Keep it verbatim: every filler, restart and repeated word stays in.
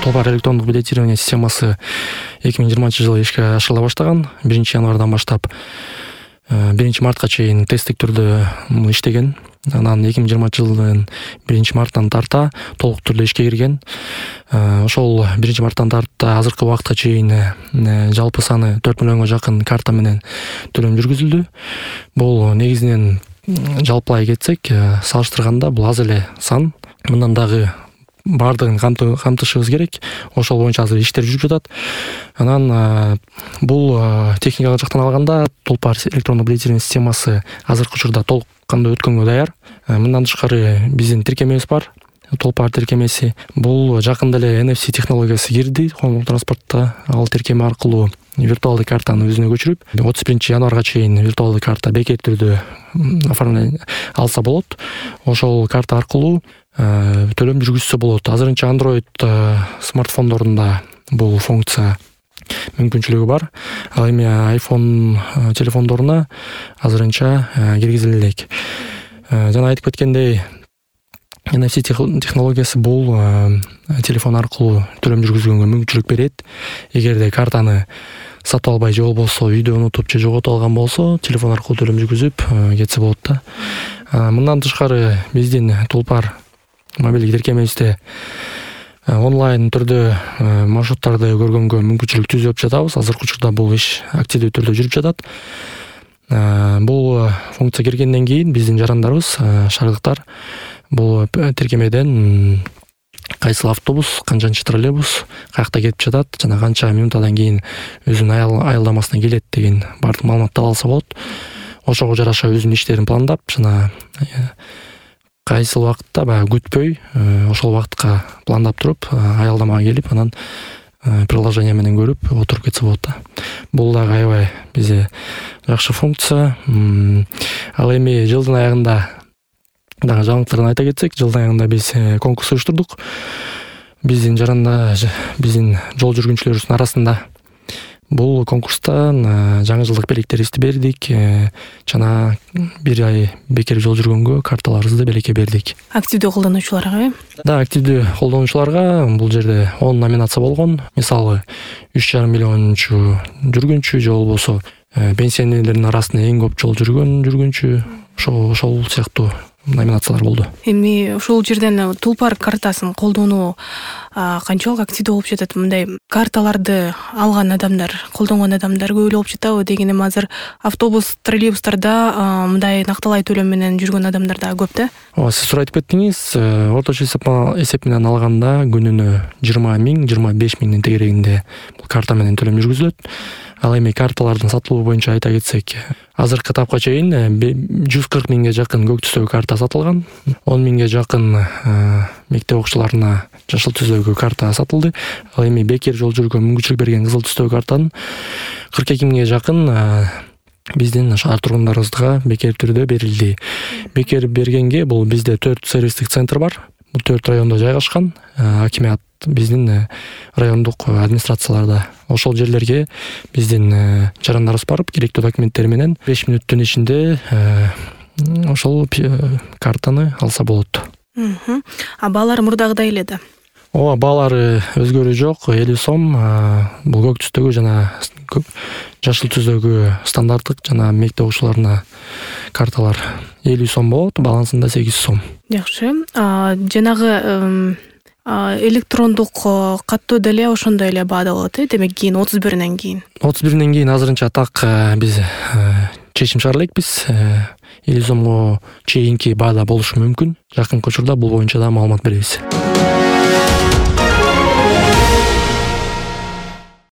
Толпар электрондук билетирование системасы эки миң жыйырманчы жылы ишке ашырыла баштаган. биринчи январдан баштап биринчи мартка чейин тесттик түрдө иштеген. Анан эки миң жыйырманчы жылдын биринчи марттан тарта толук түрдө ишке кирген. Ошол биринчи марттан тарта азыркы убакытка чейин жалпы саны төрт миллионго жакын карта менен төлөм жүргүзүлдү. Бул негизинен жалпылай кетсек, салыштырганда бул аз эле сан. Мындан дагы бардыгын камтышыбыз керек. Ошол боюнча азыр иштер жүрүп жатат. Анан бул техникалык жактан алганда Толпар электрондук билетирование системасы азыркы учурда толук кандуу өткөнгө даяр. Мындан тышкары биздин тиркемебиз бар. Толпар тиркемеси. Бул жакында эле эн эф си технологиясы кирди коомдук транспортто. Ал тиркеме аркылуу виртуалдык картаны өзүнө көчүрүп, отуз биринчи январга чейин виртуалдык карта бекер түрдө оформление алса болот. Ошол карта аркылуу төлөм жүргүзсө болот. Азырынча Android смартфондорунда бул функция мүмкүнчүлүгү бар. Ал эми iPhone телефондоруна азырынча киргизиле элек. Жана айтып кеткендей, эн эф си технологиясы бул телефон аркылуу төлөм жүргүзгөнгө мүмкүнчүлүк берет. Эгерде картаны сатып албай же болбосо үйдө унутуп же жоготуп алган болсо, телефон аркылуу төлөм жүргүзүп кетсе болот да. Мындан тышкары биздин Толпар мобилдик тиркемебизде онлайн түрдө маршруттарды көргөнгө мүмкүнчүлүк түзүп жатабыз. Азыркы учурда бул иш активдүү түрдө жүрүп жатат. Бул функция киргенден кийин биздин жарандарыбыз, шаардыктар бул тиркемеден кайсыл автобус, канчанчы троллейбус каякта кетип жатат жана канча минутадан кийин өзүнүн аялдамасына келет деген бардык маалыматты алса болот. Ошого жараша өзүнүн иштерин пландап жана кайсыл убакытта баягы күтпөй, ошол убакытка пландап туруп, аялдамага келип, анан приложение менен көрүп отуруп кетсе болот да. Бул дагы аябай бизде жакшы функция. Ал эми жылдын аягында дагы жаңылыктарын айта кетсек, жылдын аягында биз конкурс уюштурдук. Биздин жаранда биздин жол жүргүнчүлөрүбүздүн арасында бул конкурстан жаңы жылдык белектерибизди бердик. Жана бир ай бекер жол жүргөнгө карталарыбызды белекке бердик. Активдүү колдонуучуларга? Да, активдүү колдонуучуларга бул жерде он номинация болгон. Мисалы, үч жарым миллиончу жүргүнчү же болбосо пенсионерлердин арасында эң көп жол жүргөн жүргүнчү, ошол ошол сыяктуу номинациялар болду. Эми ошол жерден Толпар картасын колдонуу канчалык активдүү болуп жатат? Мындай карталарды алган адамдар, колдонгон адамдар көп эле болуп жатабы деген? Эми азыр автобус, троллейбустарда мындай накталай төлөм менен жүргөн адамдар да көп да? Ооба, сиз туура айтып кеттиңиз. Орточо эсеп менен алганда күнүнө жыйырма миң, жыйырма беш миңдин тегерегинде бул карта менен төлөм жүргүзүлөт. Ал эми карталардын сатылуу боюнча айта кетсек, азыркы тапка чейин жүз кырк миңге жакын көк түстөгү карта сатылган, он миңге жакын мектеп окуучуларына жашыл түстөгү карта сатылды. Ал эми бекер жол жүргөнгө мүмкүнчүлүк берген кызыл түстөгү картанын кырк эки миңге жакын биздин шаар тургундарыбызга бекер түрдө берилди. Бекер бергенге бул бизде төрт сервистик центр бар. Бул төрт райондо жайгашкан. Акимият биздин райондук администрацияларда. Ошол жерлерге биздин жарандарыбыз барып, керектүү документтер менен беш мүнөттүн ичинде ошол картаны алса болот. А баалары мурдагыдай эле да? Ооба, баалары өзгөрүү жок. элүү сом бул көк түстөгү жана жашыл түстөгү стандарттык жана мектеп окуучуларына карталар элүү сом болот, балансында сегиз сом. Жакшы. Жанагы электрондук каттоо деле ошондой эле баада болот, э? Демек кийин отуз биринен кийин. отуз биринен кийин азырынча так биз чечим чыгара элекпиз. элүү сомго чейинки баада болушу мүмкүн. Жакынкы учурда бул боюнча да маалымат беребиз.